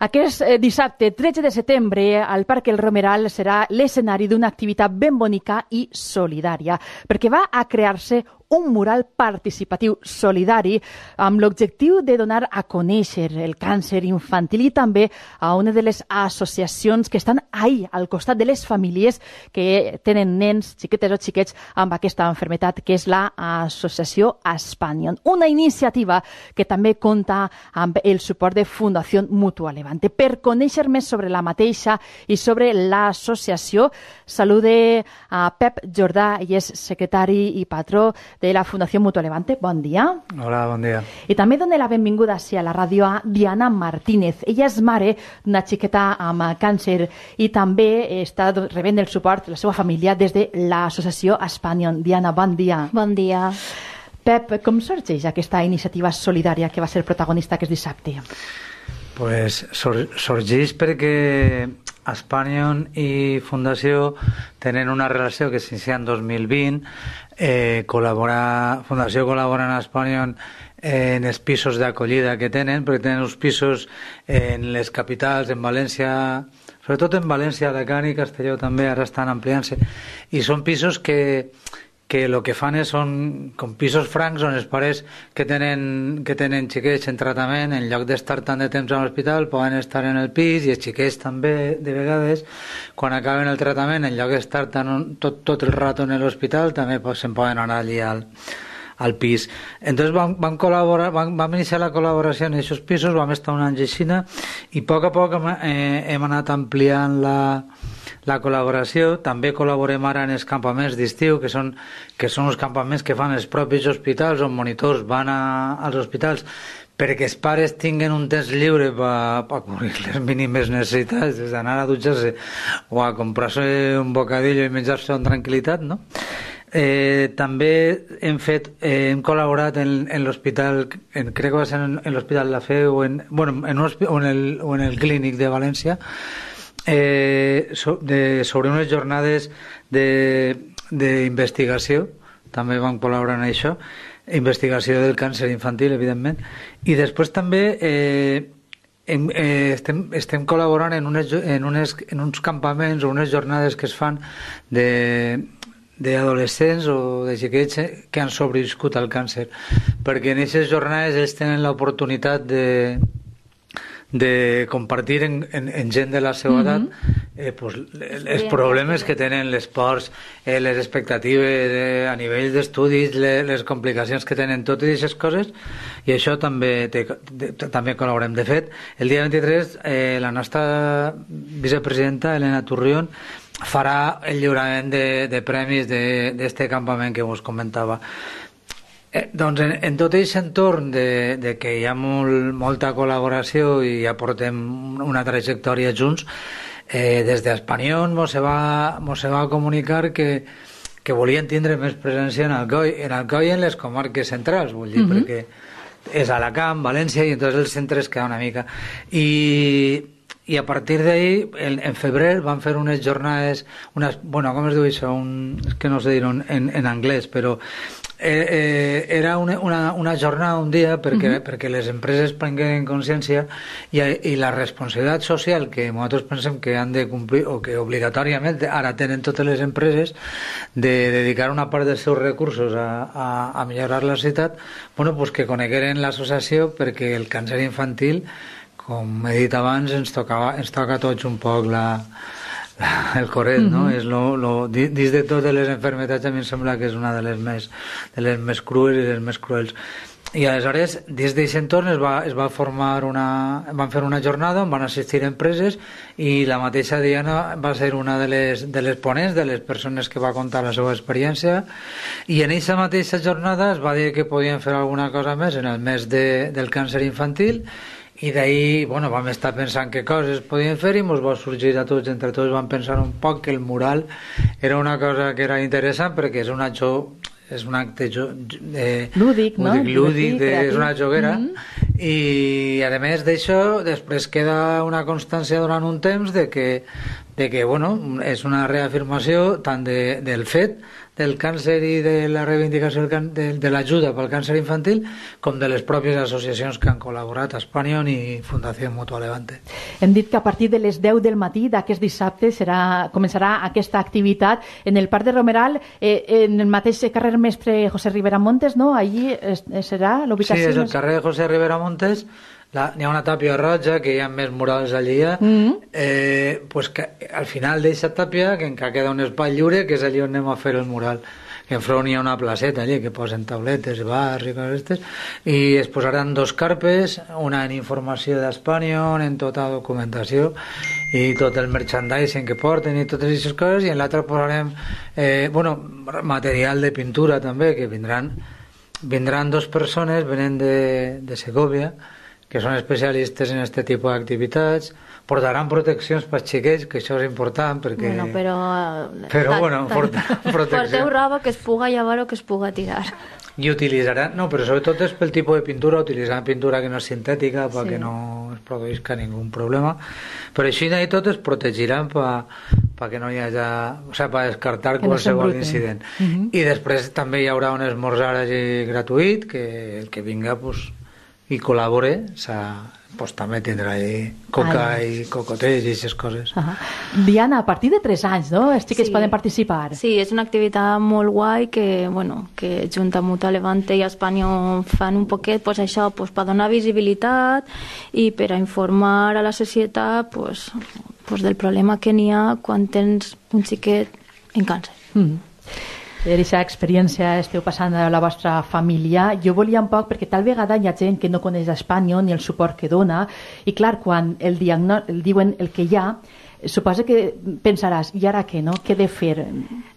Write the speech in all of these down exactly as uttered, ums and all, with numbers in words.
Aquest dissabte tretze de setembre al Parc El Romeral serà l'escenari d'una activitat ben bonica i solidària, perquè va a crear-se un mural participatiu solidari amb l'objectiu de donar a conèixer el càncer infantil i també a una de les associacions que estan ahí al costat de les famílies que tenen nens, xiquetes o xiquets amb aquesta malaltia, que és l'associació Aspanion. Una iniciativa que també compta amb el suport de Fundació Mutua Levante. Per conèixer més sobre la mateixa i sobre l'associació, salude a Pep Jordà, i és secretari i patró de la Fundació Mutua Levante. Bon dia. Hola, bon dia. I també dona la benvinguda a la ràdio a Diana Martínez. Ella és mare d'una xiqueta amb càncer i també està rebent el suport de la seva família des de l'associació Aspanion. Diana, bon dia. Bon dia. Pep, com sorgeix aquesta iniciativa solidària que va ser protagonista aquest dissabte? Pues sor sorgeix perquè Aspanion i Fundació tenen una relació que s'inicia en dos mil vint. Eh, col·labora, Fundació col·labora amb Aspanion en els pisos d'acollida que tenen, perquè tenen uns pisos en les capitals, en València, sobretot en València, Alacant i Castelló també, ara estan ampliant-se, i són pisos que que el que fan és, són com pisos francs on els pares que tenen, que tenen xiquets en tractament, en lloc d'estar tant de temps a l'hospital, poden estar en el pis, i els xiquets també, de vegades, quan acaben el tractament, en lloc d'estar tot, tot el rato en l'hospital, també se'n poden anar allí al, al pis. Entonces vam, vam, col·laborar, vam, vam iniciar la col·laboració en aquests pisos, vam estar un any així, i a poc a poc hem, eh, hem anat ampliant la la col·laboració. També col·laborem ara en els campaments d'estiu, que són, que són els campaments que fan els propis hospitals, on monitors van a, als hospitals perquè els pares tinguen un temps lliure per pa cobrir les mínimes necessitats, des d'anar a dutxar-se o a comprar-se un bocadillo i menjar-se amb tranquil·litat, no? Eh, també hem fet, eh, hem col·laborat en, en l'hospital, crec que va ser en, en l'hospital La Fe o en, bueno, en, un, o, en el, o en el clínic de València, Eh, so, de, sobre unes jornades d'investigació. També vam col·laborar en això, investigació del càncer infantil, evidentment, i després també eh, en, eh, estem, estem col·laborant en, unes, en, unes, en uns campaments o unes jornades que es fan de d'adolescents o de xiquets que han sobreviscut al càncer, perquè en aquestes jornades ells tenen l'oportunitat de de compartir en, en, en gent de la seva edat eh, pues, els problemes que tenen, les pors, eh, les expectatives eh, a nivell d'estudis, les, les complicacions que tenen, totes aquestes coses, i això també te, de, també col·laborem. De fet, el dia vint-i-tres eh, la nostra vicepresidenta Elena Turrión farà el lliurament de, de premis d'aquest campament que us comentava. Eh, doncs en, en tot aquest entorn de, de que hi ha molt, molta col·laboració i ja portem una trajectòria junts, eh, des d'Aspanion mos se va, mos se va comunicar que, que volien tindre més presència en Alcoi, en Alcoi i en les comarques centrals, vull dir, uh-huh. perquè és Alacant, València, i entonces el centre es queda una mica. I, i a partir d'ahí, en, en febrer, van fer unes jornades, unes, bueno, com es diu això? Un, és que no sé dir-ho en, en anglès, però Eh, eh, era una, una, una jornada, un dia, perquè, uh-huh. perquè les empreses prenguin consciència i, i la responsabilitat social que nosaltres pensem que han de complir, o que obligatòriament ara tenen totes les empreses, de dedicar una part dels seus recursos a, a, a millorar la societat, bueno, pues que conegueren l'associació, perquè el càncer infantil, com he dit abans, ens, tocava, ens toca a tots un poc la... el corret, no? Uh-huh. És lo, lo, dins de totes les malalties, a mi em sembla que és una de les més, de les més crues i les més cruels. I aleshores, des d'aquest entorn es va, es va formar una... van fer una jornada on van assistir empreses, i la mateixa Diana va ser una de les, de les ponents, de les persones que va contar la seva experiència, i en aquesta mateixa jornada es va dir que podien fer alguna cosa més en el mes de, del càncer infantil, i d'ahir, bueno, vam estar pensant què coses podien fer i ens va sorgir a tots, entre tots vam pensar un poc que el mural era una cosa que era interessant, perquè és un acte, és un acte eh, lúdic, no? lúdic, lúdic de, és una joguera, mm-hmm. i a més d'això després queda una constància durant un temps de que de que, bueno, és una reafirmació tant de, del fet del càncer i de la reivindicació del can, de, de l'ajuda pel càncer infantil com de les pròpies associacions que han col·laborat, Espanyol i Fundació Mutua Levante. Hem dit que a partir de les deu del matí d'aquest dissabte serà, començarà aquesta activitat en el Parc de Romeral, eh, en el mateix carrer Mestre José Rivera Montes, no? Allí es, serà l'ubicació? Sí, és el carrer José Rivera Montes. N'hi ha una tàpia roja, que hi ha més murals allí, mm -hmm. eh, pues que al final d'aquesta tàpia que encara queda un espai lliure, que és allí on anem a fer el mural, que enfront hi ha una placeta allí que posen tauletes, bars i coses aquestes, i es posaran dos carpes, una en informació d'Espanyol, en tota documentació i tot el merchandising que porten i totes aquestes coses, i en l'altra posarem eh, bueno, material de pintura també, que vindran vindran dos persones, venen de, de Segovia, que són especialistes en aquest tipus d'activitats, portaran proteccions pels xiquets, que això és important, perquè... Bueno, però... Però, ta, bueno, porta, protecció. Porteu roba que es puga llevar o que es puga tirar. I utilitzaran... No, però sobretot és pel tipus de pintura, utilitzaran pintura que no és sintètica, Sí. perquè no es produïsca ningú problema. Però així i tot es protegiran perquè no hi hagi... O sigui, per descartar Que no qualsevol s'embruten. incident. Uh -huh. I després també hi haurà un esmorzar allí gratuït, que el que vinga, pues, i col·labore, pues, també tindrà allí coca Ai. i cocotells i aquestes coses. Uh -huh. Diana, a partir de tres anys, no? Els xiquets Sí. poden participar. Sí, és una activitat molt guai que, bueno, que junt amb Mutua Levante i Espanyol fan un poquet, pues, això, pues, per donar visibilitat i per a informar a la societat, pues, pues, del problema que n'hi ha quan tens un xiquet en càncer. Mm -hmm. Per aquesta experiència esteu passant a la vostra família. Jo volia un poc, perquè tal vegada hi ha gent que no coneix Espanya ni el suport que dona, i clar, quan el, diagno el diuen el que hi ha, suposa que pensaràs, i ara què, no? Què he de fer?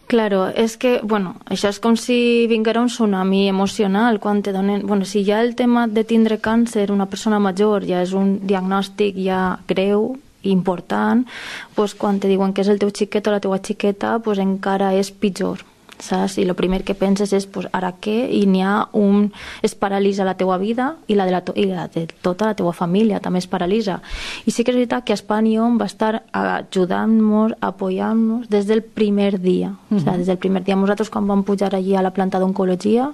Claro, és que, bueno, això és com si vinguera un tsunami emocional quan te donen... Bueno, si ja el tema de tindre càncer, una persona major, ja és un diagnòstic ja greu, important, pues, quan te diuen que és el teu xiquet o la teua xiqueta, pues, encara és pitjor. Saps? I el primer que penses és pues, ara què? I n'hi ha un... es paralitza la teua vida i la de, la to... i la de tota la teua família també es paralitza. I sí que és veritat que Espanyol va estar ajudant-nos, apoyant-nos des del primer dia. Uh -huh. O sigui, des del primer dia. Nosaltres quan vam pujar allí a la planta d'oncologia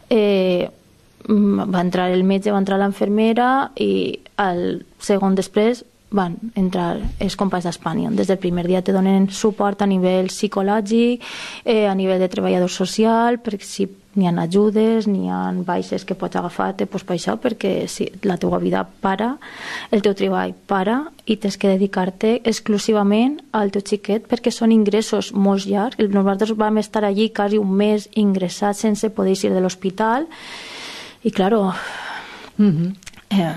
eh, va entrar el metge, va entrar l'enfermera i el segon després van entrar els companys d'Espanyol. Des del primer dia te donen suport a nivell psicològic, eh, a nivell de treballador social, perquè si n'hi ha ajudes, n'hi ha baixes que pots agafar-te, doncs per això, perquè si la teua vida para, el teu treball para i tens que dedicar-te exclusivament al teu xiquet perquè són ingressos molt llargs. Nosaltres vam estar allí quasi un mes ingressats sense poder ir de l'hospital i, claro, Mm-hmm. eh,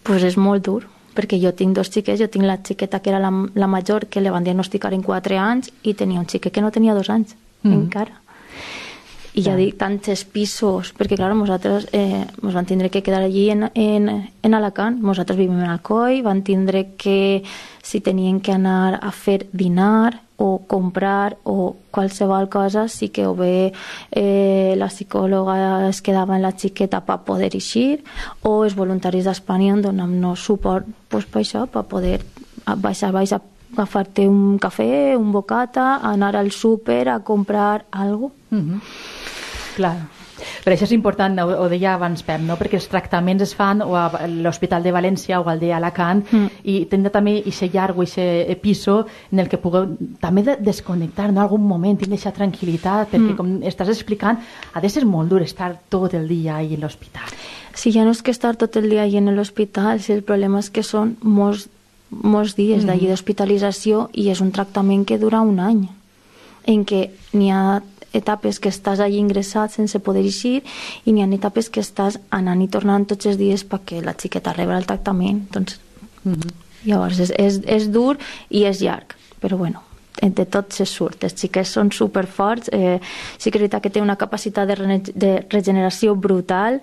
pues és molt dur, perquè jo tinc dos xiquets, jo tinc la xiqueta que era la, la major, que le van diagnosticar en quatre anys, i tenia un xiquet que no tenia dos anys, mm. encara. I ja dic, tants pisos, perquè clar, nosaltres eh, ens van tindre que quedar allí en, en, en Alacant, nosaltres vivim en Alcoi, van tindre que, si tenien que anar a fer dinar o comprar o qualsevol cosa, sí que o bé eh, la psicòloga es quedava en la xiqueta per poder eixir, o els voluntaris d'Espanyol donant-nos suport pues, per això, per poder baixar, baixar, agafar-te un cafè, un bocata, anar al súper a comprar alguna cosa. Mm-hmm. Clar. Per això és important, ho deia abans Pep, no? Perquè els tractaments es fan o a l'Hospital de València o al d'Alacant mm. i tindre també aquest llarg o aquest piso en el que pugueu també de desconnectar, no? En algun moment tindre aquesta tranquil·litat, perquè mm. com estàs explicant, ha de ser molt dur estar tot el dia ahí en l'hospital. Sí, ja no és que estar tot el dia ahí en l'hospital, si el problema és que són molts, molts dies mm. d'allí d'hospitalització i és un tractament que dura un any, en què n'hi ha etapes que estàs allí ingressat sense poder eixir i n'hi ha etapes que estàs anant i tornant tots els dies perquè la xiqueta rebre el tractament. Doncs, mm-hmm. Llavors és, és, és dur i és llarg, però bueno, de tot se surt. Els xiquets són superforts, eh, sí que és veritat que té una capacitat de, re de regeneració brutal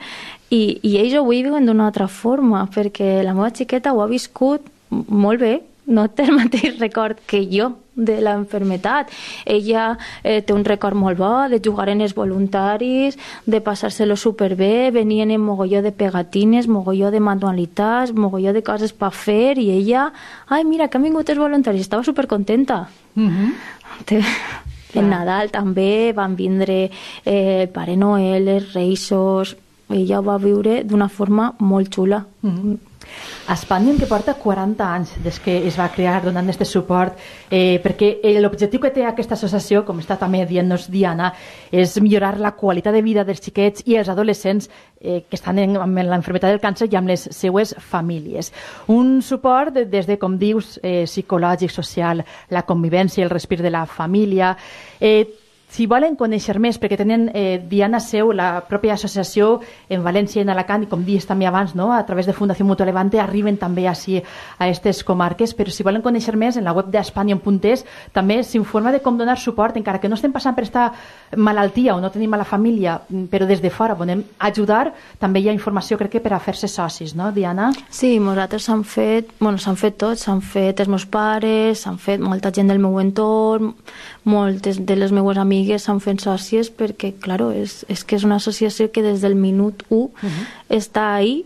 i, i ells ho viuen d'una altra forma, perquè la meva xiqueta ho ha viscut molt bé, no té el mateix record que jo de la enfermedad. Ella eh, té un record molt bo de jugar en els voluntaris, de passar-se-lo superbé, venien en mogolló de pegatines, mogolló de manualitats, mogolló de coses per fer, i ella, ai, mira, que han vingut els voluntaris, estava supercontenta. Mm-hmm. Té... En Nadal també van vindre eh, el Pare Noel, els Reixos. Ella ho va viure d'una forma molt xula. Mm-hmm. Espanya, que porta quaranta anys des que es va crear donant aquest suport, eh, perquè l'objectiu que té aquesta associació, com està també dient-nos Diana, és millorar la qualitat de vida dels xiquets i els adolescents eh, que estan en, amb l'enfermedad del càncer i amb les seues famílies. Un suport des de, com dius, eh, psicològic, social, la convivència, el respir de la família. Eh, Si volen conèixer més, perquè tenen eh, Diana seu, la pròpia associació en València i en Alacant, i com dius també abans, no? A través de Fundació Mutua Levante arriben també així a aquestes comarques, però si volen conèixer més, en la web d'Espanyol punt es també s'informa de com donar suport, encara que no estem passant per esta malaltia o no tenim a la família, però des de fora volem ajudar, també hi ha informació, crec que per a fer-se socis, no, Diana? Sí, nosaltres s'han fet, bueno, s'han fet tots, s'han fet els meus pares, s'han fet molta gent del meu entorn, moltes de les meues amigues s'han fet sòcies perquè, claro, és, és que és una associació que des del minut u uh-huh. està ahí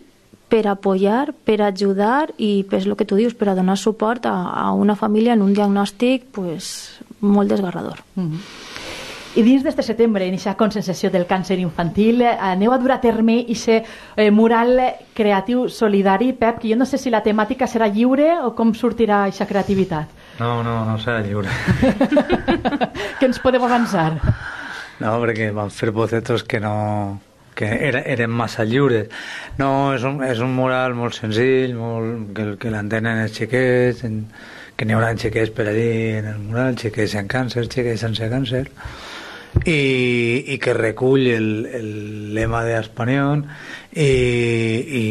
per apoyar, per ajudar i per el que tu dius, per a donar suport a, a una família en un diagnòstic pues, molt desgarrador. Uh-huh. I dins d'este setembre, en aquesta conscienciació del càncer infantil, aneu a dur a terme aquest eh, mural creatiu solidari. Pep, que jo no sé si la temàtica serà lliure o com sortirà aquesta creativitat. No, no, no serà lliure. Què ens podem avançar? No, perquè van fer bocetos que no... que era, eren massa lliures. No, és un, és un mural molt senzill, molt, que, que l'entenen els xiquets, en, que n'hi haurà xiquets per allí en el mural, xiquets amb càncer, xiquets sense càncer, i, i que recull el, el lema d'Espanyol i, i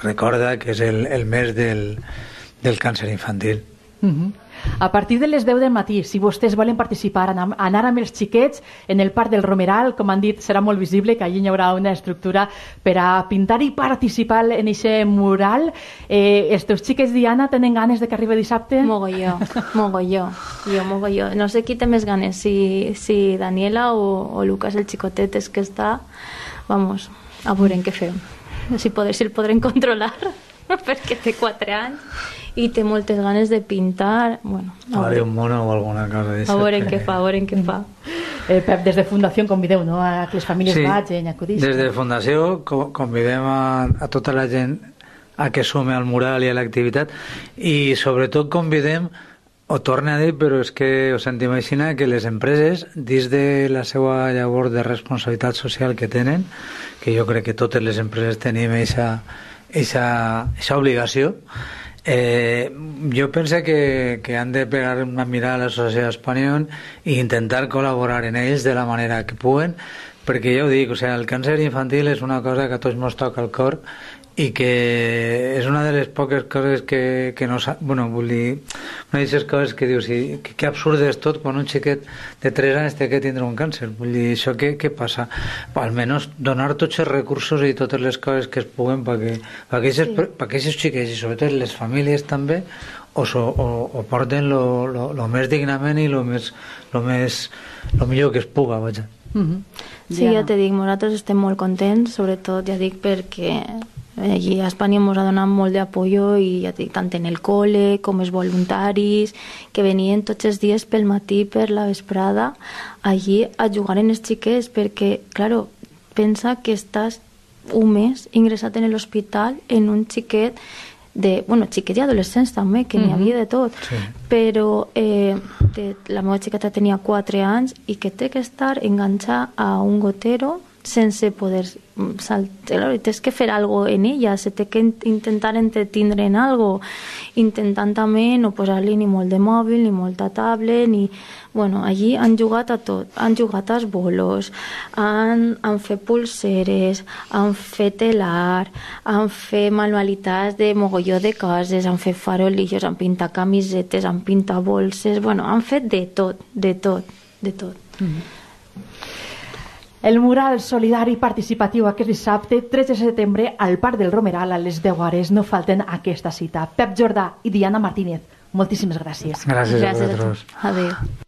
recorda que és el, el mes del, del càncer infantil. Uh-huh. A partir de les deu del matí, si vostès volen participar, anar, anar amb els xiquets en el Parc del Romeral, com han dit, serà molt visible, que allí hi haurà una estructura per a pintar i participar en aquest mural. Eh, els teus xiquets, Diana, tenen ganes de que arribi dissabte? Mogolló, mogolló, jo mogolló. No sé qui té més ganes, si, si Daniela o, o Lucas, el xicotet, és que està, vamos, a veure què fem. Si, poder, si el podrem controlar, perquè té quatre anys i té moltes ganes de pintar. Bueno, a veure un mono o alguna cosa a veure què fa, a veure què fa. Eh, Pep, des de Fundació convideu, no?, a que les famílies sí, vagin, acudissin. Des de Fundació convidem a, a tota la gent a que sume al mural i a l'activitat, i sobretot convidem, ho torno a dir, però és que ho sentim així, que les empreses, dins de la seva llavor de responsabilitat social que tenen, que jo crec que totes les empreses tenim aquesta obligació, Eh, jo penso que, que han de pegar una mirada a la societat espanyola i intentar col·laborar en ells de la manera que puguen, perquè ja ho dic, o sigui, el càncer infantil és una cosa que a tots ens toca el cor i que és una de les poques coses que, que no sap, bueno, vull dir, una d'aquestes coses que dius, sí, que, que absurd és tot quan un xiquet de tres anys té que tindre un càncer, vull dir, això què, què passa? Almenys donar tots els recursos i totes les coses que es puguen perquè aquests sí. xiquets i sobretot les famílies també o, so, o, o porten lo, lo, lo més dignament i lo, més, lo, més, lo millor que es puga, vaja. Mm-hmm. Sí, ja. ja te dic, nosaltres estem molt contents, sobretot, ja dic, perquè allí a Espanya ens ha donat molt d'apoyo i ja dic, tant en el col·le com els voluntaris que venien tots els dies pel matí, per la vesprada, allí a jugar en els xiquets, perquè, claro, pensa que estàs un mes ingressat en l'hospital en un xiquet de, bueno, xiquets i adolescents també, que mm-hmm. n'hi havia de tot, sí. però eh, de, la meva xiqueta tenia quatre anys i que té que estar enganxat a un gotero sense poder saltar, tens que fer algo en ella, se té que intentar entretindre en algo, intentant també no posar-li ni molt de mòbil, ni molta tablet, ni... Bueno, allí han jugat a tot, han jugat als bolos, han, han fet pulseres, han fet telar, han fet manualitats de mogolló de coses, han fet farolillos, han pintat camisetes, han pintat bolses, bueno, han fet de tot, de tot, de tot. Mm-hmm. El mural solidari participatiu aquest dissabte, tretze de setembre, al Parc del Romeral a les deu hores. No falten aquesta cita. Pep Jordà i Diana Martínez, Moltíssimes gràcies. Gràcies, Gràcies a vosaltres. Adéu.